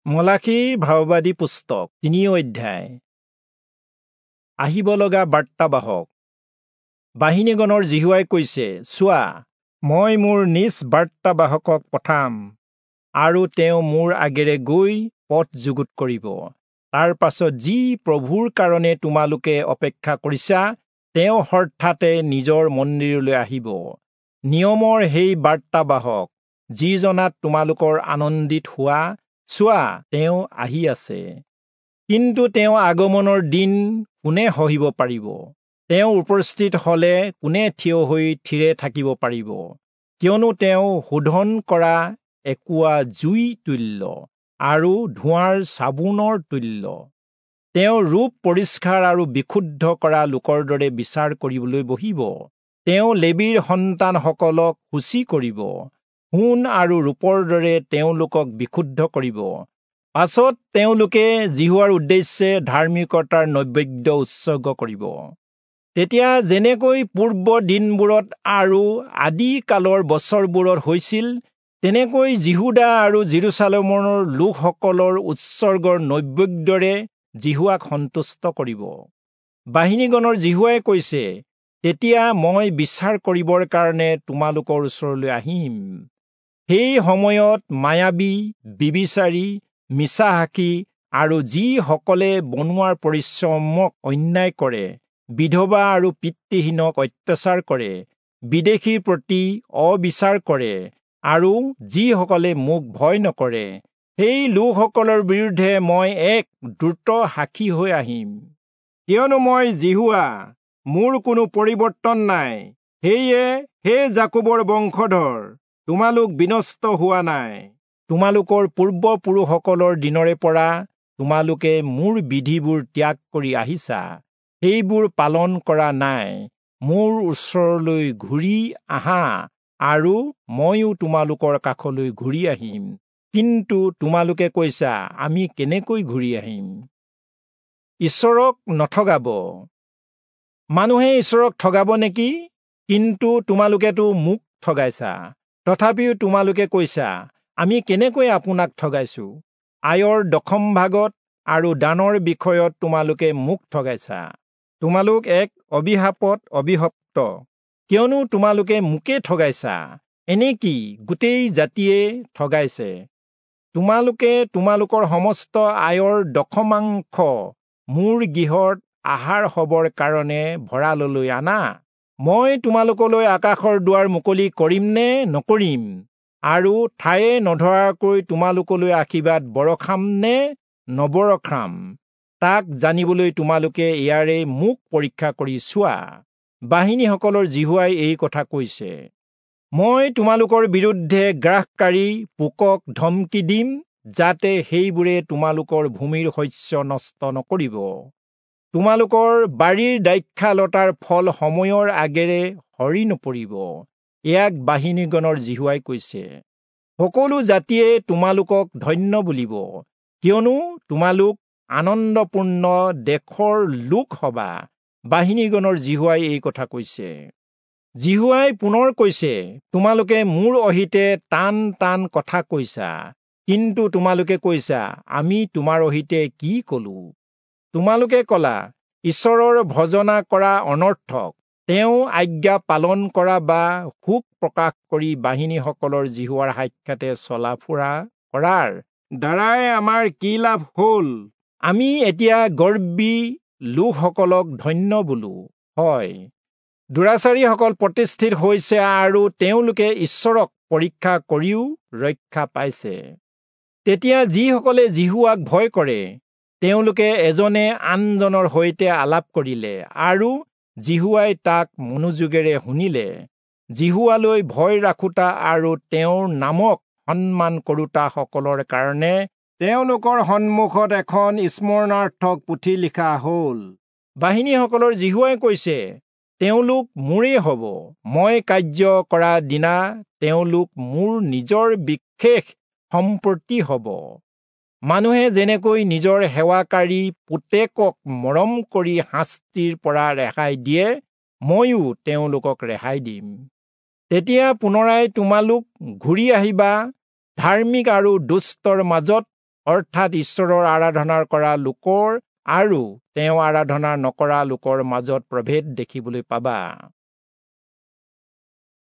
মলাখীৰ ভাৱবাদী পুস্তক 3 অধ্যায়। আহিব লগা বাৰ্তাবাহক। বাহিনীগণৰ যিহোৱাই কৈছে, চোৱা, মই মোৰ নিজ বাৰ্তাবাহকক পঠাম, আৰু তেওঁ মোৰ আগেৰে গৈ পথ যুগুত কৰিব। তাৰ পাছত যি প্ৰভুৰ কাৰণে তোমালোকে অপেক্ষা কৰিছা, তেওঁ হঠাতে নিজৰ মন্দিৰলৈ আহিব। নিয়মৰ সেই বাৰ্তাবাহক, যিজনাত তোমালোকৰ আনন্দিত হোৱা, চোৱা, তেওঁ আহি আছে। কিন্তু তেওঁ আগমনৰ দিন কোনে সহিব পাৰিব? তেওঁ উপস্থিত হলে কোনে থিয় হৈ থিৰে থাকিব পাৰিব? কিয়নো তেওঁ শোধন কৰা একোৱা জুই তুল্য আৰু ধোঁৱাৰ চাবোনৰ তুল্য। তেওঁ ৰূপ পৰিষ্কাৰ আৰু বিশুদ্ধ কৰা লোকৰ দৰে বিচাৰ কৰিবলৈ বহিব। তেওঁ লেবীৰ সন্তানসকলক সূচী কৰিব, সোণ আৰু ৰূপৰ দৰে তেওঁলোকক বিশুদ্ধ কৰিব। পাছত তেওঁলোকে যিহোৱাৰ উদ্দেশ্যে ধাৰ্মিকতাৰ নৈবেদ্য উৎসৰ্গ কৰিব। তেতিয়া যেনেকৈ পূৰ্ব দিনবোৰত আৰু আদি কালৰ বছৰবোৰত হৈছিল, তেনেকৈ যিহূদা আৰু যিৰূচালেমৰ লোকসকলৰ উৎসৰ্গৰ নৈবেদ্যৰে যিহোৱাক সন্তুষ্ট কৰিব। বাহিনীগণৰ যিহোৱাই কৈছে, তেতিয়া মই বিচাৰ কৰিবৰ কাৰণে তোমালোকৰ ওচৰলৈ আহিম। সেই সময়ত মায়াবী, বিবিচাৰী, মিছাসাক্ষী আৰু যিসকলে বনোৱাৰ পৰিশ্ৰমক অন্যায় কৰে, বিধৱা আৰু পিতৃহীনক অত্যাচাৰ কৰে, বিদেশীৰ প্ৰতি অবিচাৰ কৰে, আৰু যিসকলে মোক ভয় নকৰে, সেই লোকসকলৰ বিৰুদ্ধে মই এক দ্ৰুত সাক্ষী হৈ আহিম। কিয়নো মই যিহোৱা, মোৰ কোনো পৰিৱৰ্তন নাই। সেয়ে হে যাকোবৰ বংশধৰ, তোমালোক বিনষ্ট হোৱা নাই। তোমালোকৰ পূৰ্বপুৰুষসকলৰ দিনৰে পৰা তোমালোকে মোৰ বিধিবোৰ ত্যাগ কৰি আহিছা, সেইবোৰ পালন কৰা নাই। মোৰ ওচৰলৈ ঘূৰি আহা, আৰু ময়ো তোমালোকৰ কাষলৈ ঘূৰি আহিম। কিন্তু তোমালোকে কৈছা, আমি কেনেকৈ ঘূৰি আহিম? ঈশ্বৰক নঠগাব। মানুহে ঈশ্বৰক ঠগাব নেকি? কিন্তু তোমালোকেতো মোক ঠগাইছা। তথাপিও তোমালোকে কৈছা, আমি কেনেকৈ আপোনাক ঠগাইছো? আয়ৰ দশম ভাগত আৰু দানৰ বিষয়ত তোমালোকে মোক ঠগাইছা। তোমালোক এক অভিশাপত অভিশপ্ত, কিয়নো তোমালোকে মোকে ঠগাইছা, এনেকি গোটেই জাতিয়ে ঠগাইছে। তোমালোকে তোমালোকৰ সমস্ত আয়ৰ দশমাংশ মোৰ গৃহত আহাৰ হবৰ কাৰণে ভঁৰাললৈ আনা। মই তোমালোকলৈ আকাশৰ দুৱাৰ মুকলি কৰিম নে নকৰিম, আৰু ঠায়ে নধৰাকৈ তোমালোকলৈ আশীৰ্বাদ বৰষাম নে নবৰষাম, তাক জানিবলৈ তোমালোকে ইয়াৰে মোক পৰীক্ষা কৰি চোৱা। বাহিনীসকলৰ যিহোৱাই এই কথা কৈছে, মই তোমালোকৰ বিৰুদ্ধে গ্ৰাসকাৰী পোকক ধমকি দিম, যাতে সেইবোৰে তোমালোকৰ ভূমিৰ শস্য নষ্ট নকৰিব। তোমালোকৰ বাৰীৰ দ্ৰাক্ষালতাৰ ফল সময়ৰ আগেৰে সৰি নপৰিব। ইয়াক বাহিনীগণৰ যিহোৱাই কৈছে। সকলো জাতিয়ে তোমালোকক ধন্য বুলিব, কিয়নো তোমালোক আনন্দপূৰ্ণ দেশৰ লোক হবা। বাহিনীগণৰ যিহোৱাই এই কথা কৈছে। যিহোৱাই পুনৰ কৈছে, তোমালোকে মোৰ অহিতে টান টান কথা কৈছা, কিন্তু তোমালোকে কৈছা, আমি তোমাৰ অহিতে কি কলো? তোমালোকে কলা, ঈশ্বৰৰ ভজনা কৰা অনৰ্থক, তেওঁ আজ্ঞা পালন কৰা বা শোক প্ৰকাশ কৰি বাহিনীসকলৰ যিহোৱাৰ সাক্ষাতে চলা ফুৰা কৰাৰ দ্বাৰাই আমাৰ কি লাভ হ'ল? আমি এতিয়া গৰ্বী লোকসকলক ধন্য বোলো। হয়, দুৰাচাৰীসকল প্ৰতিষ্ঠিত হৈছে আৰু তেওঁলোকে ঈশ্বৰক পৰীক্ষা কৰিও ৰক্ষা পাইছে। তেতিয়া যিসকলে যিহোৱাক ভয় কৰে, তেওঁলোকে এজনে আনজনৰ সৈতে আলাপ কৰিলে, আৰু যিহোৱাই তাক মনোযোগেৰে শুনিলে। যিহোৱালৈ ভয় ৰাখোঁতা আৰু তেওঁৰ নামক সন্মান কৰোঁতাসকলৰ কাৰণে তেওঁলোকৰ সন্মুখত এখন স্মৰণাৰ্থক পুথি লিখা হ'ল। বাহিনীসকলৰ যিহোৱাই কৈছে, তেওঁলোক মোৰেই হ'ব। মই কাৰ্য কৰা দিনা তেওঁলোক মোৰ নিজৰ বিশেষ সম্পত্তি হ'ব। মানুহে যেনেকৈ নিজৰ সেৱাকাৰী পুতেকক মৰম কৰি শাস্তিৰ পৰা ৰেহাই দিয়ে, ময়ো তেওঁলোকক ৰেহাই দিম। তেতিয়া পুনৰাই তোমালোক ঘূৰি আহিবা, ধাৰ্মিক আৰু দুষ্টৰ মাজত অৰ্থাৎ ঈশ্বৰৰ আৰাধনা কৰা লোকৰ আৰু তেওঁ আৰাধনা নকৰা লোকৰ মাজত প্ৰভেদ দেখিবলৈ পাবা।